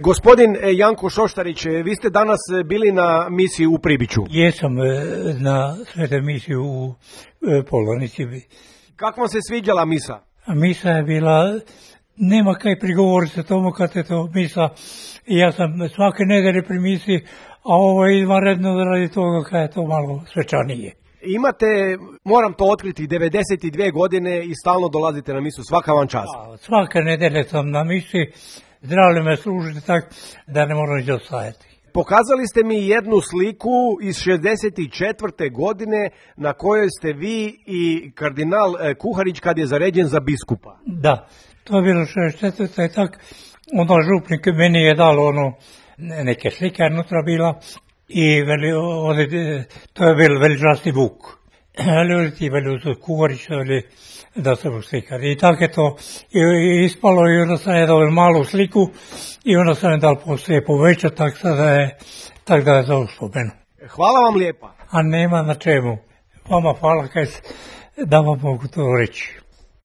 Gospodin Janko Šoštarić, vi ste danas bili na misiji u Pribiću. Jesam na svete misiji u Polonici. Kako vam se sviđala misa? Misa je bila, nema kaj prigovoriti tomu kad je to misa. Ja sam svake nedelje pri misiji, a ovo je izvanredno radi toga kad je to malo svečanije. Imate, moram to otkriti, 92 godine i stalno dolazite na misu, svaka vam čast. Svake nedelje sam na misiji, zdravlje me služiti tako da ne moram ići ostajati. Pokazali ste mi jednu sliku iz 64. godine na kojoj ste vi i kardinal Kuharić kad je zaređen za biskupa. Da, to je bilo 64. i tako. Onda župnik meni je dalo neke slike unutra bila i to je bil veličasni Vuk. Ali ti veli Kuharić da se slikali. I tako je to ispalo i onda sam je dao malu sliku i onda sam je dal poslije povećati tako da je za uspomenu. Hvala vam lijepa. A nema na čemu. Vama hvala da vam mogu to reći.